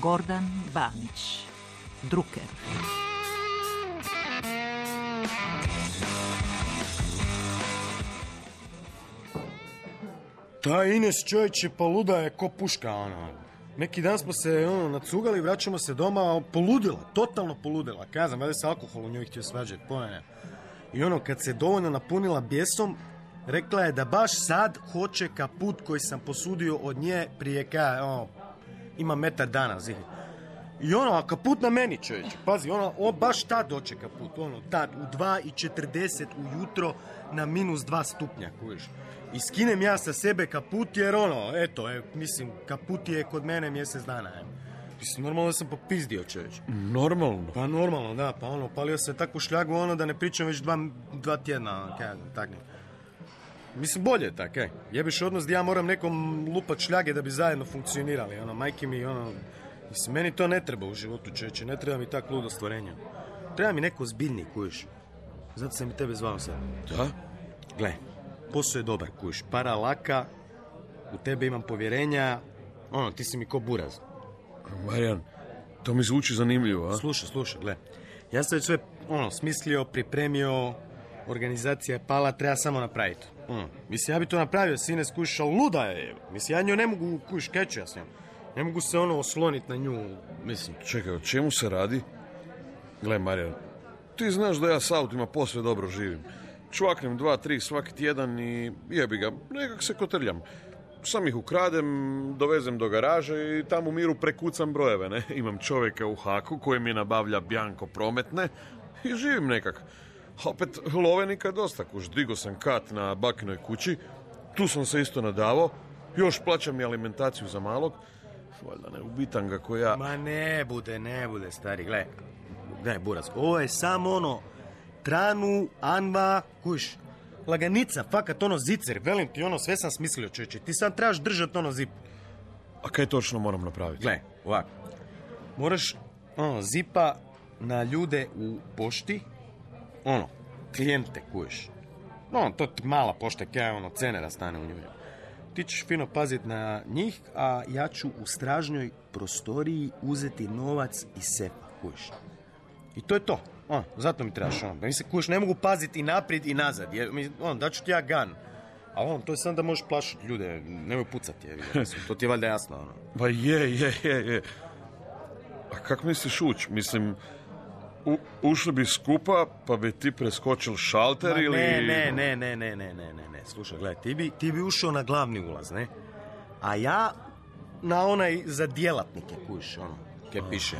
Gordan Banić, Druker. Ta Ines čovječe poluda je ko puška, ono. Neki dan smo se nacugali, vraćamo se doma, poludila, totalno poludila. Kazam, valjda se alkohol u njoj htio svađati, pojene. I kad se dovoljno napunila bijesom, rekla je da baš sad hoće kaput koji sam posudio od nje prije ima metar dana, zihi. I a kaput na meni, čovječe, pazi, baš tad doće kaput, tad, u 2:40 ujutro na -2 stupnja, kužiš. I skinem ja sa sebe kaput jer mislim, kaput je kod mene mjesec dana, Mislim, normalno da sam popizdio, čovječe. Normalno? Pa normalno, da, pa palio se takvu šljagu, da ne pričam već dva tjedna, tak ne. Mislim, bolje je tak, jebiš odnos da ja moram nekom lupat šljage da bi zajedno funkcionirali, majke mi, mislim, meni to ne treba u životu, čovječe, ne treba mi tak ludo stvorenja. Treba mi neko zbiljni, kujiš. Zato sam i tebe zvao sad. Da? Gle, posao je dobar, kujiš, para laka, u tebe imam povjerenja, ti si mi ko buraz. Marijan, to mi zvuči zanimljivo, a? Slušaj, gle, ja sam već sve, smislio, pripremio, organizacija je pala, treba samo napraviti. Mislim, ja bi to napravio, sine, skuš, ali luda je. Mislim, ja nju ne mogu, kuš, keću ja s njom. Ne mogu se osloniti na nju, mislim. Čekaj, o čemu se radi? Gle, Marijan, ti znaš da ja s autima posve dobro živim. Čvaknem 2-3 svaki tjedan i jebi ga, nekak se kotrljam. Sam ih ukradem, dovezem do garaže i tamo u miru prekucam brojeve, ne? Imam čovjeka u Haku koji mi nabavlja bjanko prometne i živim nekak. Opet, lovenika dosta, kuž, digo sam kat na bakinoj kući, tu sam se isto nadavao, još plaćam i alimentaciju za malog, valjda ne ubitam ga ko ja. Ma ne bude, stari, gledaj, buraz, ovo je samo tranu, anva, kuš, laganica, fakat zicer, velim ti sve sam smislio, čovječe, ti sad trebaš držati zip. A kaj točno moram napraviti? Gle, ovako, moraš zipa na ljude u pošti, klijente, kujiš. To ti mala pošta, kaj cenera stane u njoj. Ti ćeš fino paziti na njih, a ja ću u stražnjoj prostoriji uzeti novac iz sefa, kujiš. I to je to. Zato mi trebaš, mislim, kujiš, ne mogu paziti i naprijed i nazad, jer, daću ti ja gan. A to je samo da možeš plašiti ljude, nemoj pucati, mislim, to ti je valjda jasno, Pa je. A kako misliš ući? Mislim, ušli bi skupa, pa bi ti preskočil šalter ili... Ne. Slušaj, gledaj, ti bi ušao na glavni ulaz, ne? A ja na onaj za djelatnike, kujiš, kaj piše,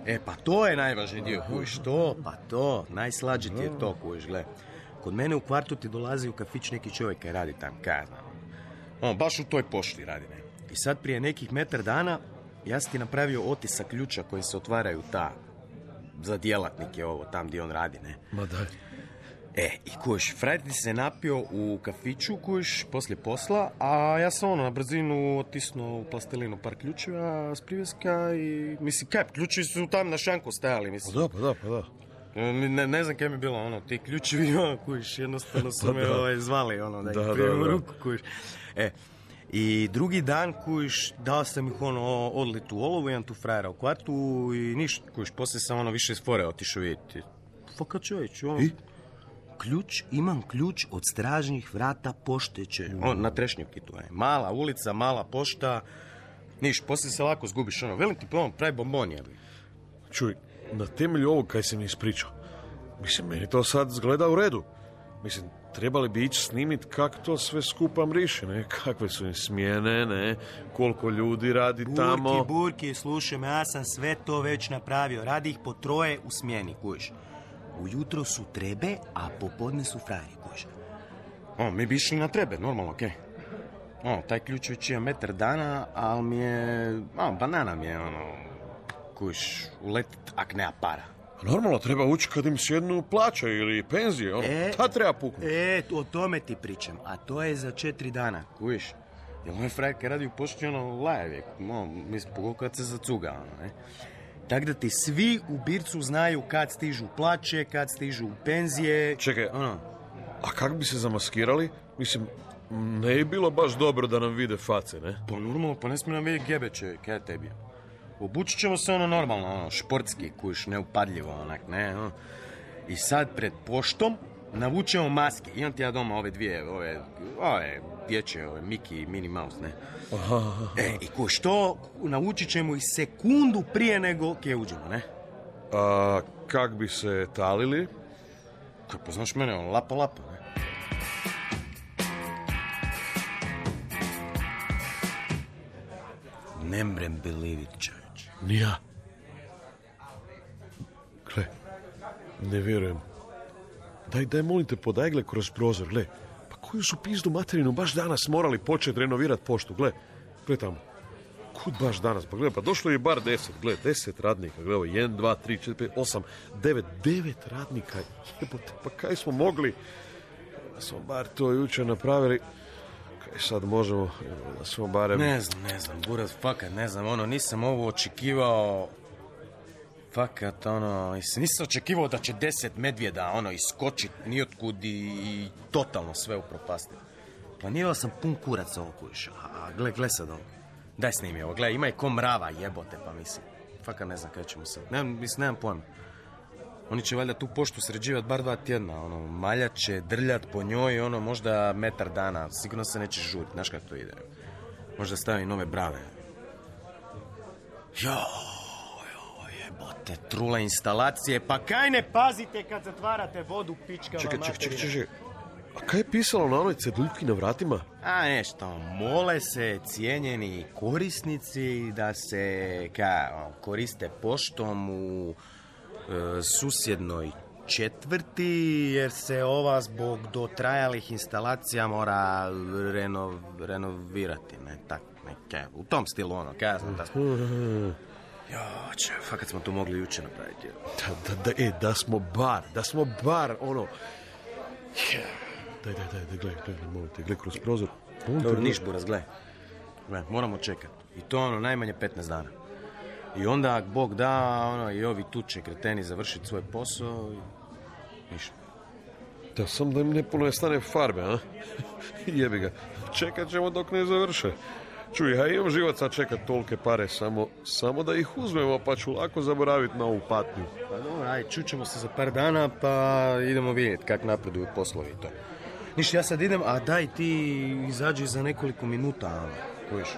ne? Pa to je najvažniji dio, kujiš, to, najslađe ti je to, kujiš, gledaj. Kod mene u kvartu ti dolazi u kafić neki čovjek kaj radi tam, kaj ja znam. Baš u toj pošti radi, ne? I sad prije nekih metar dana ja sam ti napravio otisak ključa koji se otvaraju za djelatnike tam gdje on radi, ne? Ma daj. I kuš, frajer ti se napio u kafiću, kuš, poslije posla, a ja sam na brzinu otisnuo u plastelinu par ključeva s privjeska i, mislim, kaj, ključevi su tam na šanku stajali, mislim. Pa da. Ne znam kaj mi je bilo, ti ključevi, kuš, jednostavno su me zvali, da ih primim u ruku, kuš. I drugi dan, kuš, dao sam ih odlit u olovu, imam tu frajera u kvartu i ništa, kuš, poslije sam više iz fore otišao vidjeti. Fakat čovječ, imam ključ od stražnjih vrata pošteće, na Trešnjevki tu je. Mala ulica, mala pošta, poslije se lako zgubiš, velim ti, pravi bombon je. Čuj, na temelju ovog kaj se mi ispričao, mislim, meni to sad zgleda u redu. Mislim, trebali bi ići snimit kak to sve skupa mriši, ne? Kakve su im smjene, ne? Koliko ljudi radi tamo. Burki, slušaj me, ja sam sve to već napravio. Radi ih po 3 u smjeni, kužiš. Ujutro su trebe, a popodne su frajeri, kužiš. Mi bi išli na trebe, normalno, okej. Taj ključ već je metar dana, ali mi je... banana mi je, kužiš, uletit, ak nema para. Normalno, treba ući kad im sjednu plaća ili penzije, ta treba puknuti. O tome ti pričam, a to je za 4 dana, kužiš. Jer ovaj frajer kad radi u pošti, lajev je, mislim, pogotovo kad se zacuga, ne. Tako da ti svi u Bircu znaju kad stižu plaće, kad stižu penzije. Čekaj, a kako bi se zamaskirali? Mislim, ne je bilo baš dobro da nam vide face, ne? Pa normalno, pa ne smije nam vidjeti gebeće, kaj tebi. Obučit ćemo se ono normalno, ono, športski, kuš, neupadljivo, onak, ne, ono. I sad pred poštom navučemo maske. Imam ti ja doma ove dvije, ove dječje, ove Mickey i Minnie Mouse, ne. I kuš, to navučit ćemo i sekundu prije nego kje uđemo, ne. A kak bi se talili? Kako poznaš mene, ono, lapa, ne. Ne mrem believe it, čovječ. Nija. Gle, ne vjerujem. Daj, molim te, podaj, gle, kroz prozor, gle. Pa koju su pizdu materinu baš danas morali početi renovirati poštu, gle. Gle tamo. Kud baš danas? Pa gle, pa došlo je bar 10, gle, 10 radnika, gle, 1, 2, 3, 4, 5, 8, 9 radnika. Jebote, pa kaj smo mogli? Da smo bar to jučer napravili. Kaj sad možemo, da smo barem... Ne znam, buraz, fakat, ne znam, ono, nisam ovo očekivao... Fakat, ono, nisam očekivao da će 10 medvjeda, ono, iskočit nijotkud i totalno sve upropastiti. Planirao sam pun kurac ovo kuš, a gle sad ovo. Daj snimi ovo, gle, ima je ko mrava, jebote, pa mislim. Fakat ne znam kaj ćemo sad. Nemam pojma. Oni će valjda tu poštu sređivati bar 2 tjedna, ono, maljat će, drljat po njoj, ono, možda metar dana, sigurno se neće žurit, znaš kako to ide. Možda stavi nove brave. Jebote, trule instalacije, pa kaj ne pazite kad zatvarate vodu, pičkama materina? Čekaj. A kaj je pisalo na onoj ceduljki na vratima? A nešto, mole se cijenjeni korisnici da se koriste poštom u susjednoj četvrti, jer se ova zbog dotrajalih instalacija mora renovirati, ne, tak, neke, u tom stilu, ono, kaj ja znam da smo... fakat smo to mogli jučer napraviti. Da smo bar, ono... Daj, molim te, gle kroz prozor. Dobro, niš, buraz, gle, moramo čekati. I to, ono, najmanje 15 dana. I onda, ak Bog da, ono, i ovi tu će kreteni završiti svoj posao i... ništa. Da, sam da im ne puno stane farbe, a? Jebi ga. Čekat ćemo dok ne završe. Čuj, ja imam živaca čekat tolike pare, samo da ih uzmemo, pa ću lako zaboraviti na ovu patnju. Pa dobro, aj, čućemo se za par dana, pa idemo vidjeti kak napreduju poslovi i to. Ništa, ja sad idem, a daj ti izađi za nekoliko minuta, kojiš.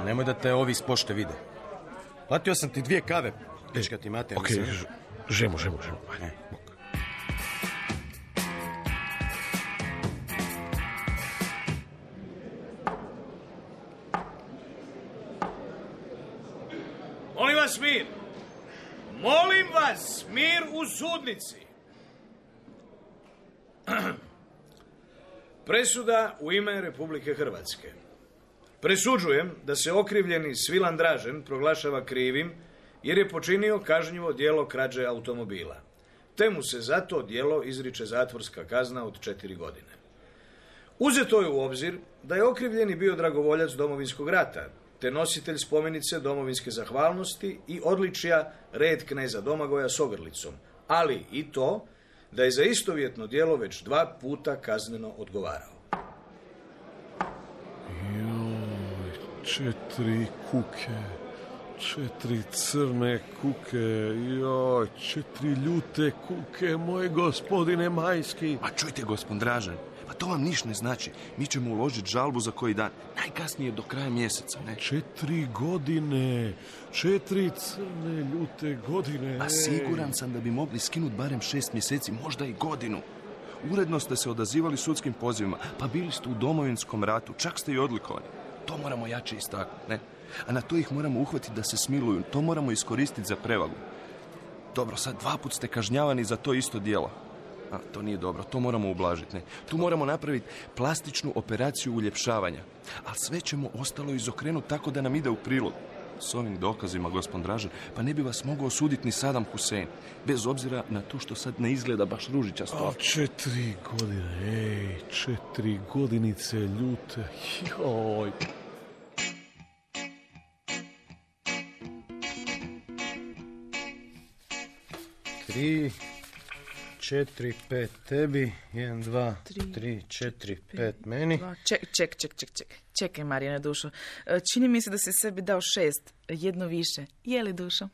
Nemoj da te ovi iz pošte vide. Platio sam ti 2 kave, pička ti mater. Okej, žemo. Molim vas, mir u sudnici. Presuda u ime Republike Hrvatske. Presuđujem da se okrivljeni Svilan Dražen proglašava krivim jer je počinio kažnjivo djelo krađe automobila. Te mu se za to djelo izriče zatvorska kazna od 4 godine. Uzeto je u obzir da je okrivljeni bio dragovoljac Domovinskog rata, te nositelj spomenice domovinske zahvalnosti i odličja Red kneza Domagoja s ogrlicom, ali i to da je za istovjetno djelo već 2 puta kazneno odgovarao. 4 kuke, 4 crne kuke, 4 ljute kuke, moj gospodine Majski. A čujte, gospod Dražen, pa to vam niš ne znači. Mi ćemo uložiti žalbu za koji dan, najkasnije do kraja mjeseca, ne? 4 godine, 4 crne ljute godine. A siguran sam da bi mogli skinuti barem 6 mjeseci, možda i godinu. Uredno ste se odazivali sudskim pozivima, pa bili ste u Domovinskom ratu, čak ste i odlikovani. To moramo jače istaknuti, ne? A na to ih moramo uhvatiti da se smiluju, to moramo iskoristiti za prevagu. Dobro, sad 2 put ste kažnjavani za to isto djelo. A, to nije dobro, to moramo ublažiti, ne? Tu moramo napraviti plastičnu operaciju uljepšavanja. A sve ćemo ostalo izokrenuti tako da nam ide u prilog. S ovim dokazima, gospod Dražen, pa ne bi vas mogao osuditi ni Saddam Hussein. Bez obzira na to što sad ne izgleda baš ružičasto. 4 godine, 4 godinice ljute, joj. 4, 5 tebi. 1, 2, 3, 4, 5 meni. Čekaj, Marijane, dušo. Čini mi se da si sebi dao 6, jedno više. Je li, dušo?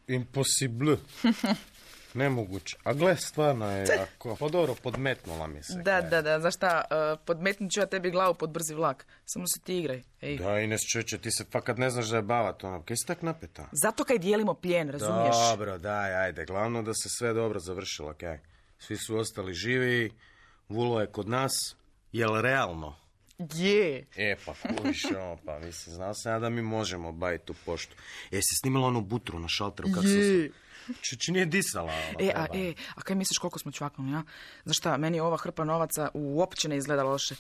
Impossible. Nemoguće. A gle, stvarno je jako. Pa dobro, podmetnula mi se. Da. Znaš šta, podmetnut ću ja tebi glavu pod brzi vlak. Samo se ti igraj. Ej. Da, Ines, čeče, ti se fakat ne znaš da je bavat, ono. Kaj si tak napeta? Zato kaj dijelimo plijen, razumiješ? Dobro, daj, ajde. Glavno da se sve dobro završilo, kaj. Svi su ostali živi, Vulo je kod nas. Jel realno? Je. Pa kuviš, pa mislim, znao sam ja da mi možemo baviti tu poštu. Si snimala onu butru na šalteru, kako se... Či nije disala. A kaj misliš koliko smo čvaknuli, ja? Znaš šta, meni ova hrpa novaca uopće ne izgleda loše.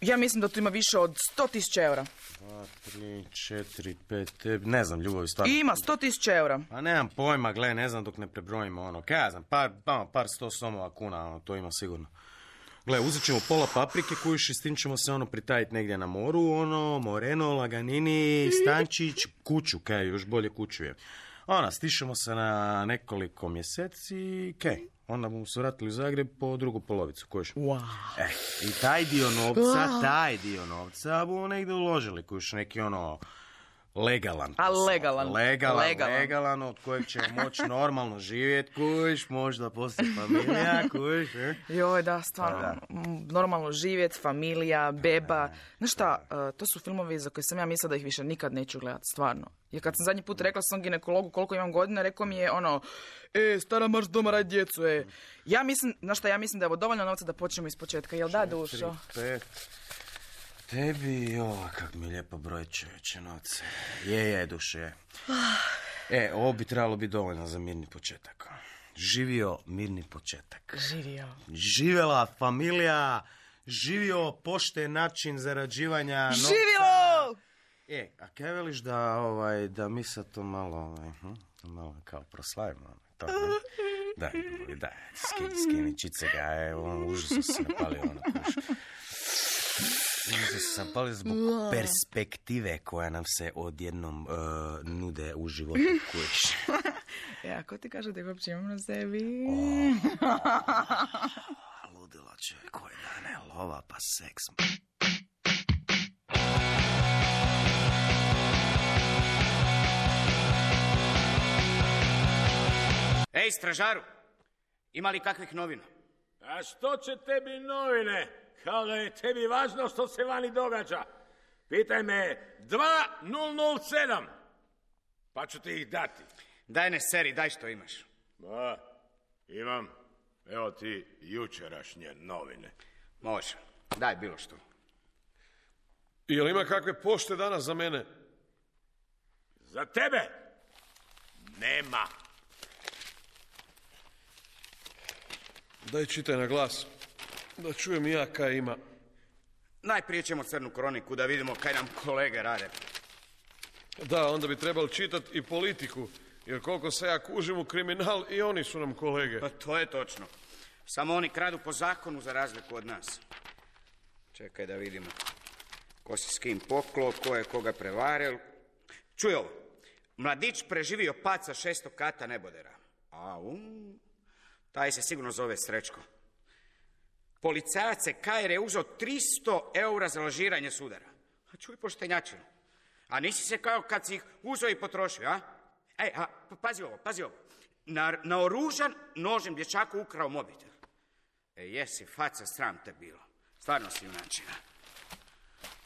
Ja mislim da tu ima više od 100.000 eura. 2, 3, 4, 5, tebi, ne znam, ljubavi, stvarno. Ima 100.000 eura. Pa nemam pojma, gle, ne znam dok ne prebrojimo, ono, kaj ja znam, par 100 somova kuna, ono, to ima sigurno. Gle, uzet ćemo pola paprike kojuš i s tim ćemo se ono pritajiti negdje na moru, ono, Moreno, Laganini, Stančić, kuću, kaj, još bolje kuću je. Ona, stišemo se na nekoliko mjeseci, kaj, onda bomo se vratili u Zagreb po drugu polovicu, kojiš. Wow. I taj dio novca bomo negdje uložili, kojiš neki ono... Legalan. Legalan, od kojeg ćemo moći normalno živjeti, kuš, možda poslije familija, kuš. Joj, da, stvarno, normalno živjeti, familija, beba. Znaš šta, to su filmovi za koje sam ja mislila da ih više nikad neću gledati, stvarno. Jer kad sam zadnji put rekla sam ginekologu koliko imam godina, rekao mi je ono, stara marš doma radi djecu, Ja mislim, znaš šta, ja mislim da je ovo dovoljno novca da počnemo iz početka, jel da, dušo? 4, 5... Tebi, kak mi je lijepo broj čovječe novce. Je, duše. Ovo bi trebalo biti dovoljno za mirni početak. Živio mirni početak. Živjela familija, živio pošten način zarađivanja novca. Živjelo! A kaj veliš da mi sad to malo kao proslavimo? To, ne? Daj, skini čice ga, užasno se napalio, kuš. Sam palio zbog perspektive koja nam se odjednom nude u životu, kuć. Ko ti kaže da ga uopće imam na sebi? Ludila čovjek, koje dane, lova pa seks. Ej, stražaru, ima li kakvih novina? A što će tebi novine? Kao da je tebi važno što se vani događa. Pitaj me 2007, pa ću ti ih dati. Daj ne seri, daj što imaš. Imam. Evo ti jučerašnje novine. Može, daj bilo što. Jel ima kakve pošte danas za mene? Za tebe? Nema. Daj čitaj na glas. Da čujem i ja kaj ima. Najprije ćemo crnu kroniku da vidimo kaj nam kolege rade. Da, onda bi trebali čitati i politiku. Jer koliko se ja kužim u kriminal, i oni su nam kolege. Pa to je točno. Samo oni kradu po zakonu za razliku od nas. Čekaj da vidimo. Ko si s kim poklo, ko je koga prevaril. Čuj ovo. Mladić preživio pad sa 6. kata nebodera. Taj se sigurno zove Srećko. Policajac je KR uzeo 300 eura za lažiranje sudara. A čuj poštenjačinu. A nisi se kao kad si ih uzeo i potrošio, a? Pazi ovo. Naoružan nožem dječaku ukrao mobitel. Jesi, faca, sram te bilo. Stvarno si junačina.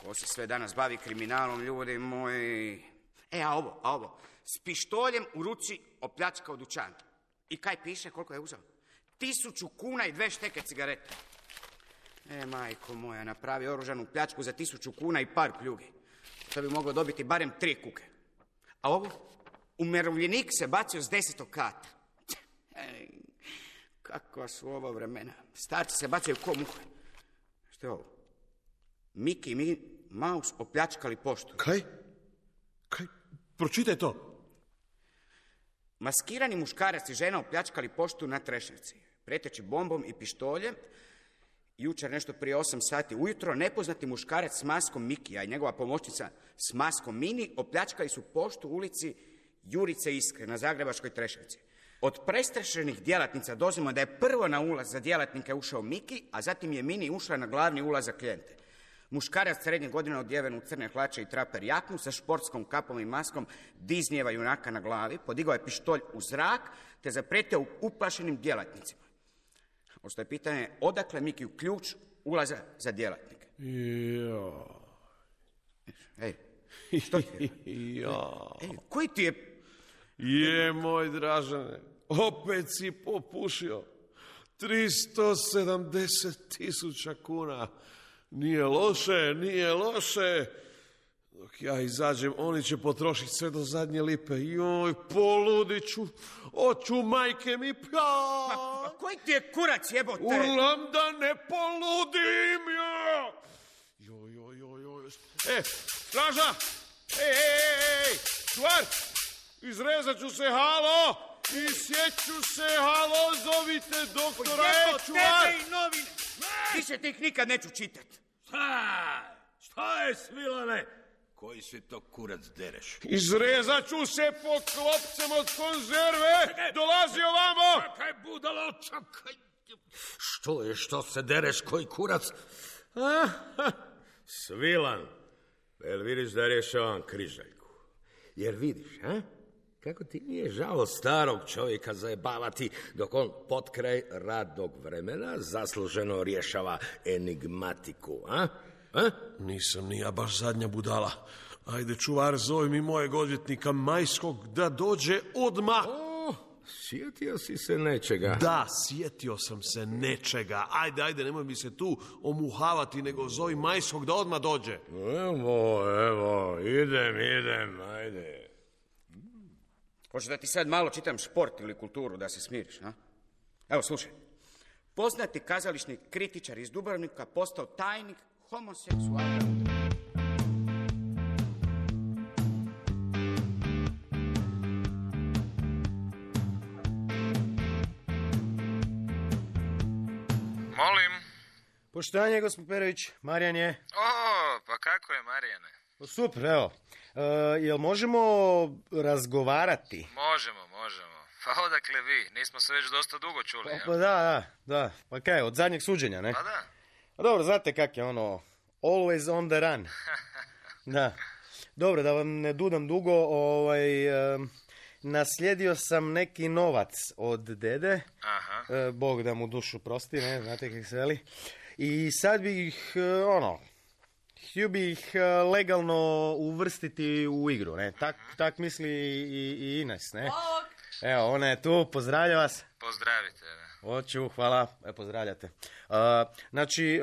Ko se sve danas bavi kriminalom, ljudi moji. A ovo. S pištoljem u ruci opljačkao dućan. I kaj piše, koliko je uzeo? 1000 kuna i 2 šteke cigarete. Majko moja, napravi oružanu pljačku za 1000 kuna i par pljugi. To bi moglo dobiti barem 3 kuke. A ovo? Umirovljenik se bacio s 10. kata. Kakva su ovo vremena. Starci se bacaju ko muhe. Što je ovo? Mickey Mouse opljačkali poštu. Kaj? Pročitaj to. Maskirani muškarac i žena opljačkali poštu na Trešnjevci. Preteći bombom i pištoljem. Jučer nešto prije 8 sati ujutro nepoznati muškarac s maskom Mikija i njegova pomoćnica s maskom Mini opljačkali su poštu u ulici Jurice Iskre na Zagrebačkoj Trešnjevci. Od prestrašenih djelatnica dozvolimo da je prvo na ulaz za djelatnike ušao Miki, a zatim je Mini ušla na glavni ulaz za klijente. Muškarac srednje godine odjeven u crne hlače i traper jaknu sa športskom kapom i maskom Disneyjeva junaka na glavi, podigao je pištolj u zrak te zapretio uplašenim djelatnicima. Ostaje pitanje odakle Miki u ključ ulaza za djelatnike. Ej, što ti je? Ej, koji ti je? Je, moj Dražane, opet si popušio. 370.000 kuna. Nije loše. Dok ja izađem, oni će potrošiti sve do zadnje lipe. Joj, poludit ću. Oću, majke mi, Ma koji ti je kurac, jebote? Urlam da ne poludim, joj. Straža! Ej, čuvar! Izrezat ću se, halo! Isjeću se, halo, zovite doktora, čuvar! Tebe i novine! Više ti ih nikad neću čitat. Šta je, Svilane? Koji si to kurac dereš? Izrezat ću se po klopcem od konzerve! Dolazi ovamo! Čakaj, budalo, čakaj! Što se dereš, koji kurac? Svilan, jel vidiš da rješavam križaljku? Jer vidiš, kako ti nije žao starog čovjeka zajebavati dok on potkraj radnog vremena zasluženo rješava enigmatiku, Nisam ni ja baš zadnja budala. Ajde, čuvar, zove mi mojeg odvjetnika Majskog da dođe odmah. Sjetio si se nečega? Da, sjetio sam se nečega. Ajde, nemoj mi se tu omuhavati, nego zovi Majskog da odmah dođe. Evo, idem, ajde. Hoćeš da ti sad malo čitam šport ili kulturu da se smiriš, Evo, slušaj. Poznati kazališni kritičar iz Dubrovnika postao tajnik homoseksualne udruge. Molim? Poštovanje, gospod Perović, Marijan je. Pa kako je, Marijane? Super, evo. Jel možemo razgovarati? Možemo. Pa odakle vi? Nismo se već dosta dugo čuli, Pa da. Pa kaj, od zadnjeg suđenja, ne? Pa da. Dobro, znate kak je ono, always on the run. Da. Dobro, da vam ne dudam dugo, naslijedio sam neki novac od dede. Aha. Bog da mu dušu prosti, ne, znate kako se veli. I sad bih, htio bih legalno uvrstiti u igru, ne? Tak misli i Ines, ne? Evo, ona je tu, pozdravlja vas. Pozdravite, da. Hoću, hvala, pozdravljate. Znači,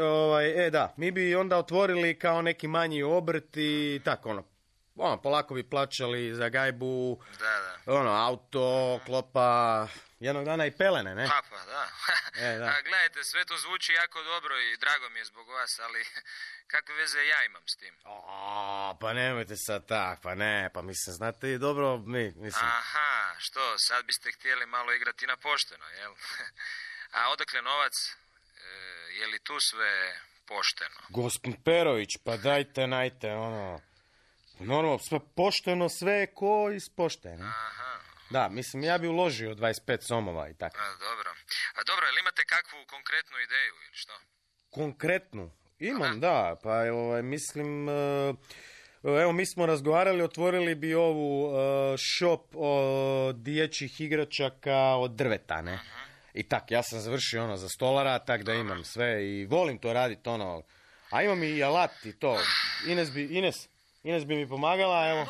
da, mi bi onda otvorili kao neki manji obrt i tako, polako bi plaćali za gajbu, Da. Auto, klopa, jednog dana i pelene, ne? Pa da. Da. A gledajte, sve to zvuči jako dobro i drago mi je zbog vas, ali kakve veze ja imam s tim? Pa nemojte sad tak, pa mislim, znate i dobro, mislim... Aha, što, sad biste htjeli malo igrati na pošteno, jel? A odakle novac? Je li tu sve pošteno? Gospod Perović, pa dajte, normalno, sve pošteno, sve ko ispošteno. Aha. Da, mislim, ja bi uložio 25 somova i tako. Dobro, jel imate kakvu konkretnu ideju ili što? Konkretnu? Imam, da, pa mislim, evo mi smo razgovarali, otvorili bi ovu shop dječjih igračaka od drveta, ne? I tak, ja sam završio za stolara, tak da imam sve i volim to raditi, a imam i alat i to. Ines bi mi pomagala, evo.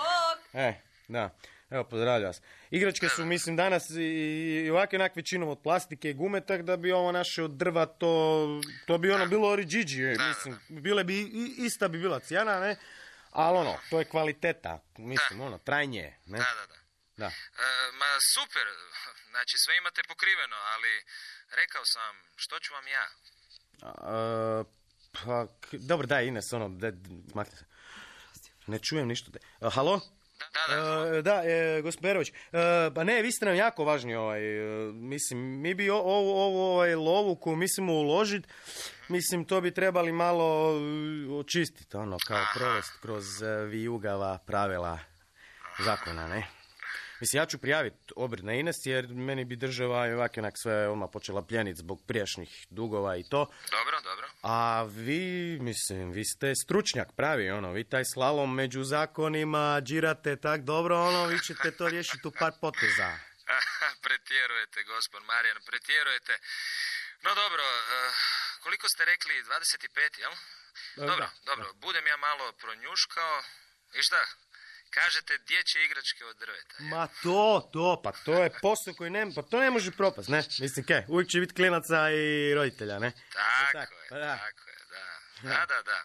Da. Evo, pozdravljam vas. Igračke su, mislim, danas i ovakve većinom od plastike i gume, tak da bi ovo naše od drva, to bi bilo oriđiđi, mislim, bile bi, ista bi bila cijena, ne? Ali to je kvaliteta, mislim, trajnije, ne? Da. Ma super, znači sve imate pokriveno, ali rekao sam, što ću vam ja? Dobro, daj, Ines, makne se. Ne čujem ništa. Halo? Da, gospod Perović, pa ne, vi ste nam jako važni, mislim, mi bi ovu lovu koju mislimo uložiti, mislim, to bi trebali malo očistiti, kao provesti kroz vijugava pravila zakona, ne? Mislim, ja ću prijaviti obrt na Ines, jer meni bi država i ovak onak sve odmah počela pljeniti zbog prijašnjih dugova i to. Dobro. A vi ste stručnjak pravi, vi taj slalom među zakonima džirate tak dobro, vi ćete to riješiti u par poteza. Pretjerujete, gospod Marijan, pretjerujete. No dobro, koliko ste rekli, 25, jel? Dobro, budem ja malo pronjuškao i šta? Kažete dječje igračke od drveta. Ma to je posao koji to ne može propast, ne? Mislim, uvijek će biti klinaca i roditelja, ne? Tako je, da.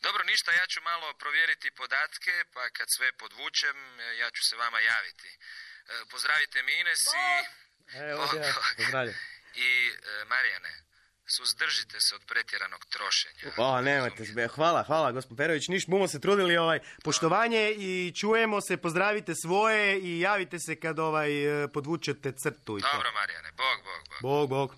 Dobro, ništa, ja ću malo provjeriti podatke, pa kad sve podvučem, ja ću se vama javiti. Pozdravite mi Ines i... Pozdravljam. I, Marijane, suzdržite se od pretjeranog trošenja. Nemojte, hvala, gospod Perović, bumo se trudili, poštovanje i čujemo se, pozdravite svoje i javite se kad podvučete crtu. Dobro, Marijane, Bog. Bog.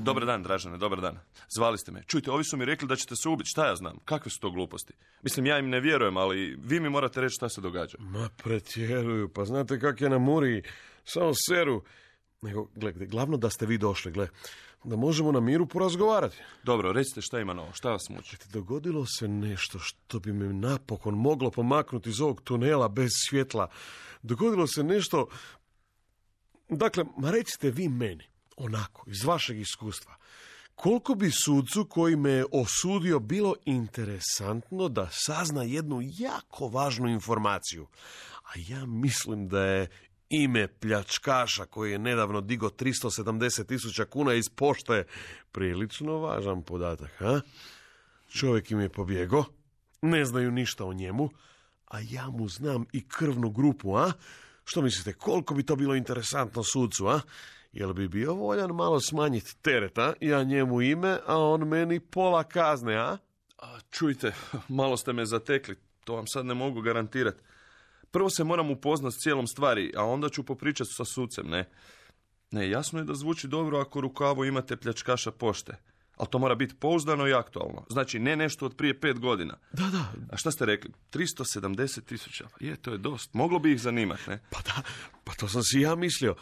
Dobar dan, Dražene, dobar dan. Zvali ste me. Čujte, ovi su mi rekli da ćete se ubiti. Šta ja znam? Kakve su to gluposti? Mislim, ja im ne vjerujem, ali vi mi morate reći šta se događa. Ma pretjeruju, pa znate kak je na Muri, samo seru. Nego, gledajte, glavno da ste vi došli, da možemo na miru porazgovarati. Dobro, recite šta ima novo, šta vas muči? Dogodilo se nešto što bi me napokon moglo pomaknuti iz ovog tunela bez svjetla. Dogodilo se nešto... Dakle, recite vi meni, onako, iz vašeg iskustva, koliko bi sudcu koji me je osudio bilo interesantno da sazna jednu jako važnu informaciju. A ja mislim da je ime pljačkaša koji je nedavno digo 370.000 kuna iz pošte prilično važan podatak, ha? Čovjek im je pobjegao, ne znaju ništa o njemu, a ja mu znam i krvnu grupu, a? Što mislite, koliko bi to bilo interesantno sudcu, a? Jel bi bio voljan malo smanjiti tereta, ja njemu ime, a on meni pola kazne, a? Čujte, malo ste me zatekli, to vam sad ne mogu garantirati. Prvo se moram upoznat s cijelom stvari, a onda ću popričati sa sucem, ne? Ne, jasno je da zvuči dobro ako u rukavu imate pljačkaša pošte. Ali to mora biti pouzdano i aktualno. Znači, ne nešto od prije 5 godina. Da. A šta ste rekli? 370.000. Je, to je dosta. Moglo bi ih zanimati, ne? Pa to sam si ja mislio.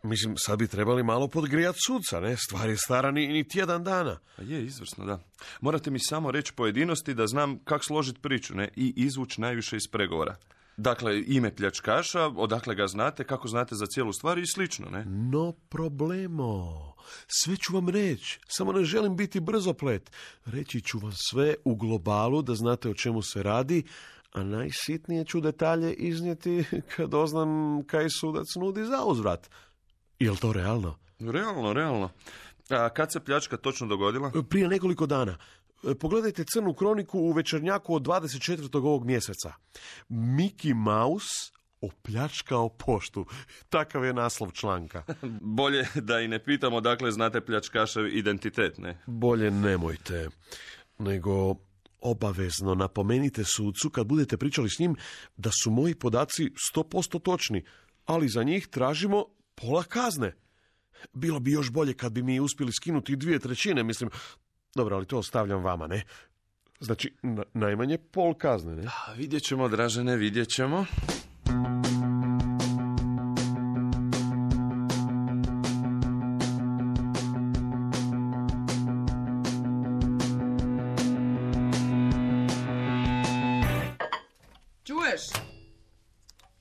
Mislim, sad bi trebali malo podgrijati sudca, ne? Stvar je stara ni tjedan dana. Je, izvrsno, da. Morate mi samo reći pojedinosti da znam kako složiti priču, ne? I izvući najviše iz pregovora. Dakle, ime pljačkaša, odakle ga znate, kako znate za cijelu stvar i slično, ne? No problemo. Sve ću vam reći. Samo ne želim biti brzoplet. Reći ću vam sve u globalu da znate o čemu se radi, a najsitnije ću detalje iznijeti kad doznam kaj sudac nudi za uzvrat. Jel to realno? Realno. A kad se pljačka točno dogodila? Prije nekoliko dana. Pogledajte crnu kroniku u Večernjaku od 24. ovog mjeseca. Mickey Mouse opljačkao poštu. Takav je naslov članka. Bolje da i ne pitamo dakle znate pljačkašev identitet, ne? Bolje nemojte. Nego obavezno napomenite sudcu kad budete pričali s njim da su moji podaci 100% točni, ali za njih tražimo pola kazne. Bilo bi još bolje kad bi mi uspjeli skinuti 2/3, mislim. Dobro, ali to ostavljam vama, ne? Znači, najmanje pol kazne, ne? Vidjet ćemo, Dražene, vidjet ćemo. Čuješ?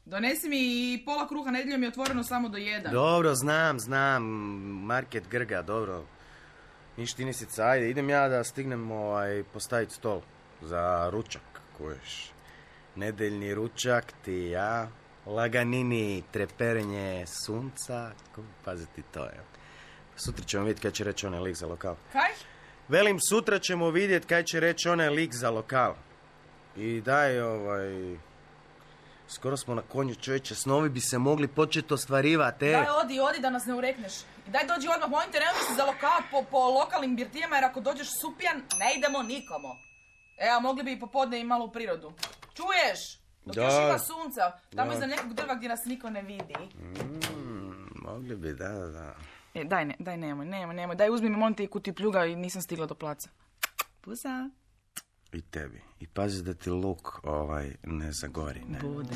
Donesi mi i pola kruha, nedjeljom je otvoreno samo do 1. Dobro, znam, market grga, dobro. Ništa nisica, ajde, idem ja da stignem postaviti stol za ručak, kuješ. Nedeljni ručak ti ja, laganini, treperenje sunca, paziti to je. Sutra ćemo vidjeti kaj će reći onaj lik za lokal. Kaj? Velim, sutra ćemo vidjeti kaj će reći onaj lik za lokal. I daj, skoro smo na konju, čovječe, snovi bi se mogli početi ostvarivati, Daj, odi da nas ne urekneš. I daj, dođi odmah, molim te, nemoj se za lokal po lokalnim birtijama, jer ako dođeš supijan, ne idemo nikomu. A mogli bi i popodne i malo u prirodu. Čuješ? Dok još ima sunca, tamo iza nekog drva gdje nas niko ne vidi. Mogli bi, da. Daj, nemoj. Daj, uzmi mi molim te kutiju pljuga i nisam stigla do placa. Pusa. I tebi. I pazi da ti luk ne zagori, ne? Bude.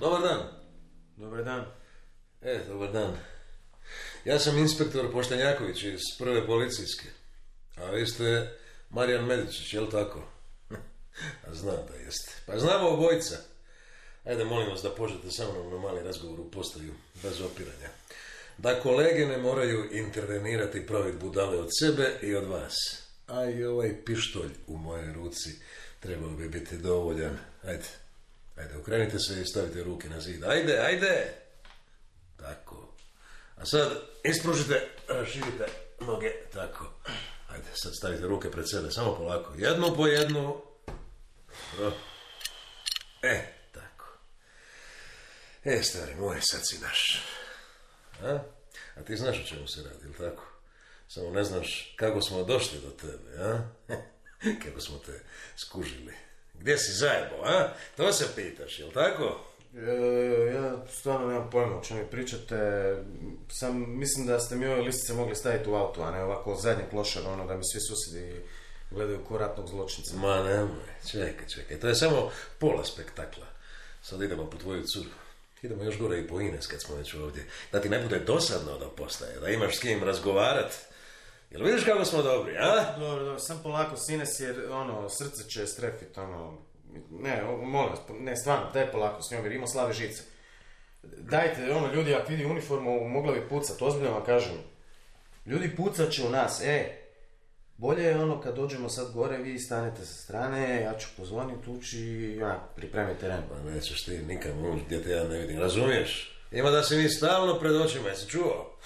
Dobar dan. Dobar dan. Dobar dan. Ja sam inspektor Poštenjaković iz prve policijske. A vi ste Marijan Medičić, jel tako? A znam da jeste. Pa znamo obojica. Ajde, molim vas da pođete sa mnom na mali razgovor u postaju, bez opiranja. Da kolege ne moraju intervenirati i praviti budale od sebe i od vas. A i ovaj pištolj u mojoj ruci trebao bi biti dovoljan. Ajde, okrenite se i stavite ruke na zid. Ajde! Tako. A sad ispružite, raširite noge, tako. Ajde, sad stavite ruke pred sebe, samo polako. Jednu po jednu. Tako. Stari moj, sad si naš. A ti znaš o čemu se radi, ili tako? Samo ne znaš kako smo došli do tebe, a? Kako smo te skužili. Gdje si zajebo, a? To se pitaš, jel tako? Ja stvarno nemam pojma o čemu mi pričate. Sam mislim da ste mi ove listice mogli staviti u auto, a ne ovako zadnji klošar, da mi svi susjedi gledaju ko ratnog zločinca. Ma nemoj, čekaj, to je samo pola spektakla. Sad idemo po tvoju curu. Idemo još gore i po Ines kad smo već ovdje. Da ti ne bude dosadno da postaje, da imaš s kim razgovarat. Jel vidiš kako smo dobri, a? Dobro, sam polako s Ines jer srce će strefit, Ne, molim vas, ne, stvarno, daj polako s njom jer ima slave žice. Dajte, ljudi, ako vidi uniformu, mogla bi pucat, ozbiljno vam kažem. Ljudi pucat će u nas, bolje je kad dođemo sad gore, vi stanete sa strane, ja ću pozvoniti, ući i pripremiti teren. Pa nećeš ti nikam ući gdje te ja ne vidim, razumiješ? Ima da si mi stalno pred očima, jesi čuo?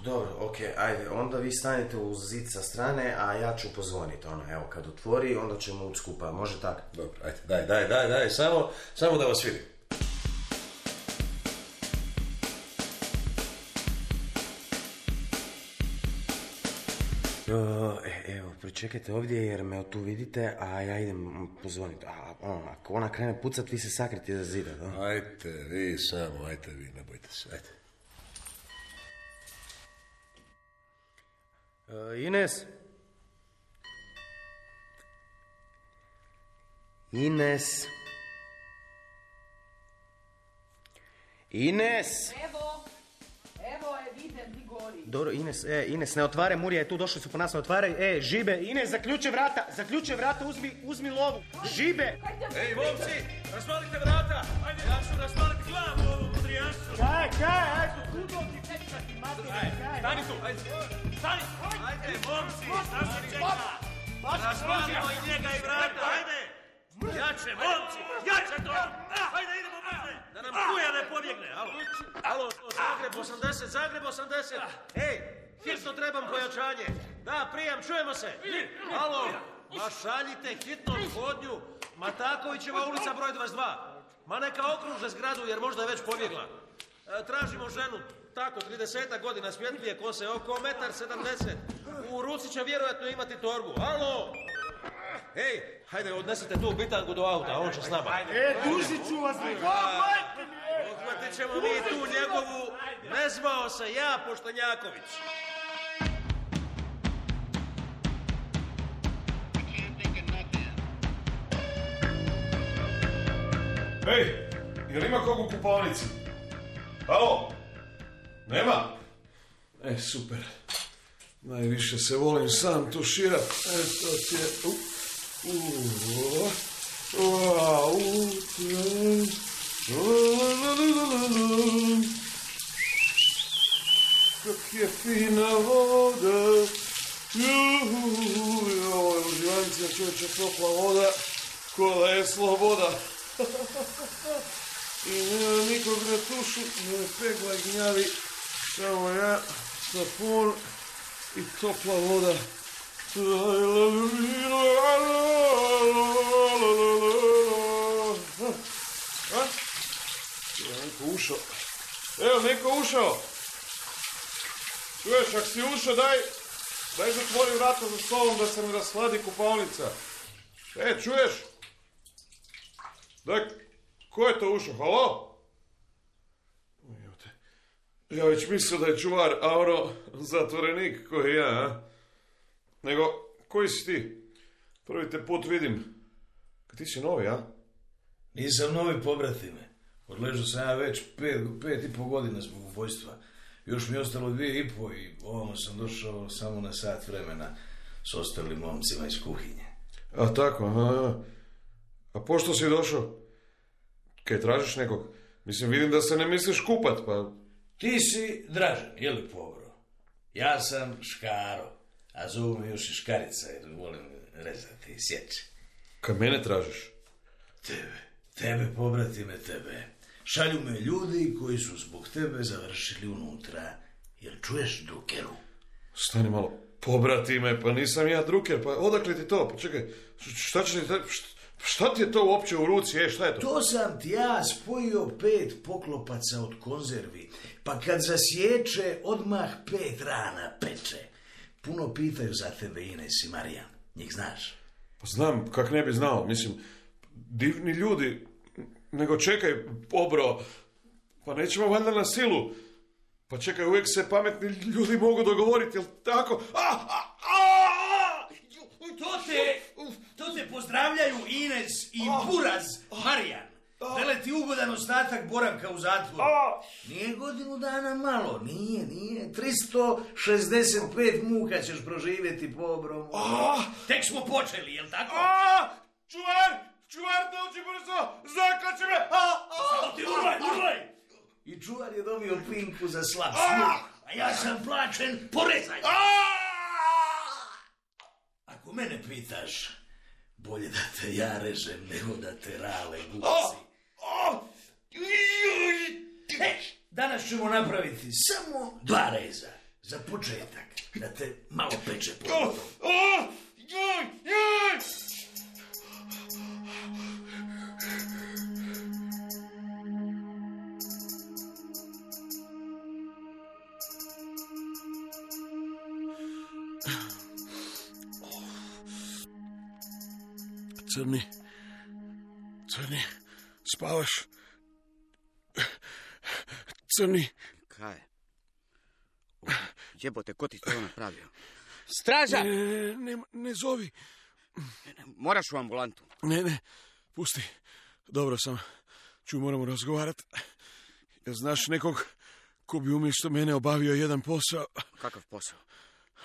Dobro, okej, ajde, onda vi stanete uz zid sa strane, a ja ću pozvoniti, evo, kad otvori, onda ćemo ući skupa, može tako? Dobro, ajde, daj, samo da vas vidim. Evo, pričekajte ovdje jer me tu vidite, a ja idem pozvoniti. Ako ona krene pucat, vi se sakriti iza zida, da? Ajde vi samo, ne bojte se, ajde. Ines? Evo je, vidim, ti gori. Dobro, Ines, ne otvaraj, Murija je tu, došli su po nas, ne otvaraj. Žibe, Ines, zaključe vrata, uzmi lovu. Žibe! Ej, momci, razvalite vrata! Ajde, ja ću razvaliti glavu ovom mudrijanstvu. Kaj, ajde, kudo ti pečkati, mater, kaj. Stani tu, stani! Ajde, momci, šta se čeka? Razvalimo i njega i vrata, ajde! Jače, momci, jače to! Ajde, idemo brže! Da nam kuja ne pobjegne, alo, Zagreb 80, Ej, hitno trebam pojačanje. Da, prijam, čujemo se. Alo, ma šaljite hitno odvodnju. Matakovićeva ulica broj 22. Ma neka okruže zgradu jer možda je već pobjegla. Tražimo ženu, tako, 30 godina, svjetlije kose, oko 1,70 m. U ruci će vjerojatno imati torbu. Alo! Ej, hajde, odnesite tu bitangu do auta, on će s nama. Dužit ću vas, Odhvatit ćemo mi tu njegovu, ne zvao se ja, Poštenjaković. Ej, jel ima kog u kupaonici? Alo? Nema? Super. Najviše se volim sam tuširat. To ti je... Kak je fina voda. Uživancija čovječe, topla voda. Kola je sloboda. I nema nikog na tušu, ne pegla i gnjavi. Samo ja, sapun i topla voda. Neko ušao. Evo, neko ušao. Čuješ, ako si ušao, daj zatvori vrata za stolom da se mi rasladi kupaonica. Čuješ? Daj, ko je to ušao? Halo? Ja već mislio da je čuvar, a ono, zatvorenik koji ja, a? Nego, koji si ti? Prvi te put vidim. Kad ti si novi, a? Nisam novi, pobratime. Odležao sam ja već 5,5 godina zbog ubojstva. Još mi je ostalo 2,5 i ovamo sam došao samo na sat vremena s ostalim momcima iz kuhinje. A tako, aha. A pošto si došao? Kaj tražiš nekog? Mislim, vidim da se ne misliš kupat, pa... Ti si Dražen, je li Pobro? Ja sam Škaro, a zovu me još i Škarica jer volim rezati i sjeći. Kad mene tražiš? Tebe, pobratime, tebe. Šalju me ljudi koji su zbog tebe završili unutra. Jel čuješ, drukeru? Stani malo, pobratime, pa nisam ja druker, pa odakle ti to? Pa čekaj, šta ti je to uopće u ruci, šta je to? To sam ti ja spojio 5 poklopaca od konzervi, pa kad zasječe, odmah 5 rana peče. Puno pitaju za tebe Ines i Marijan, njih znaš? Pa znam, kak ne bi znao, mislim, divni ljudi, nego čekaj, Pobro, pa nećemo valjda na silu. Pa čekaj, uvijek se pametni ljudi mogu dogovoriti, jel tako? To te pozdravljaju Ines i Buraz, Marijan. Vele ti ugodan ostatak boravka u zatvoru. Nije godinu dana malo, nije. 365 muka ćeš proživjeti, Pobro. Tek smo počeli, jel tako? Čuvar, dođi brzo, zakači me! Samo ti urlaj! I čuvar je dobio pinku za slab sluh, a ja sam plaćen porezanje. Ako mene pitaš, bolje da te ja režem nego da te rale gusi. Danas ćemo napraviti samo 2 reza. Za početak, da te malo peče po vodu. Crni, spavaš? Crni. Kaj? Jebote, ko ti to napravio? Straža! Ne zovi. Moraš u ambulantu. Ne, pusti. Dobro sam. Moramo razgovarati. Jel znaš nekog ko bi umjesto mene obavio jedan posao? Kakav posao?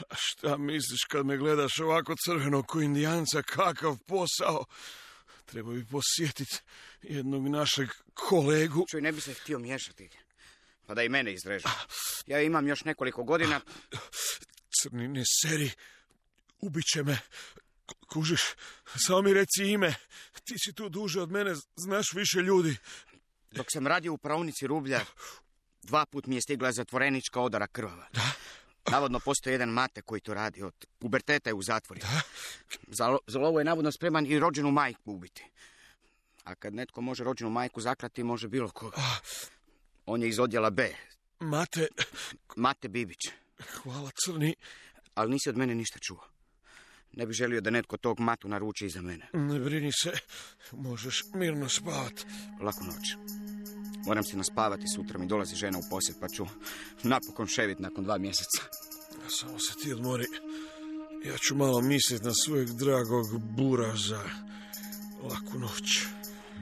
A šta misliš kad me gledaš ovako crveno ko Indijanca? Kakav posao? Treba bi posjetiti jednog našeg kolegu. Čuj, ne bi se htio miješati. Pa da i mene izrežu. Ja imam još nekoliko godina. Crni, ne seri. Ubit će me. Kužiš, samo mi reci ime. Ti si tu duže od mene, znaš više ljudi. Dok sam radio u praonici rublja, 2 put mi je stigla zatvorenička odara krvava. Da? Navodno postoji jedan Mate koji to radi. Od puberteta je u zatvoru. Za lovu je navodno spreman i rođenu majku ubiti. A kad netko može rođenu majku zaklati, može bilo koga. On je iz odjela B. Mate Bibić. Hvala, Crni. Ali nisi od mene ništa čuo. Ne bih želio da netko tog Matu naruči iza mene. Ne brini se. Možeš mirno spavati. Laku noć. Moram se naspavati, sutra mi dolazi žena u posjet, pa ću napokon ševit nakon 2 mjeseca. Samo se ti odmori. Ja ću malo misliti na svojeg dragog Buraza. Laku noć.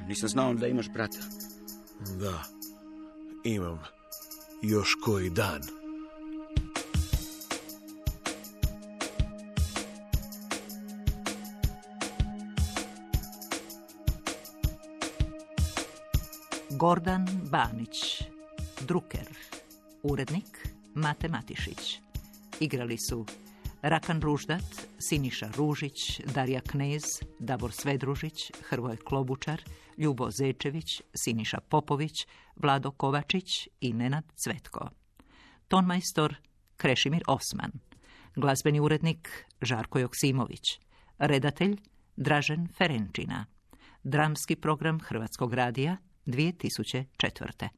Nisam znao da imaš brata. Da, imam. Još koji dan. Gordan Banić, druker, urednik Mate Matišić. Igrali su Rakan Ruždat, Siniša Ružić, Darija Knez, Davor Svedružić, Hrvoje Klobučar, Ljubo Zečević, Siniša Popović, Vlado Kovačić i Nenad Cvetko. Tonmajstor Krešimir Osman. Glazbeni urednik Žarko Joksimović. Redatelj Dražen Ferenčina. Dramski program Hrvatskog radija 2004.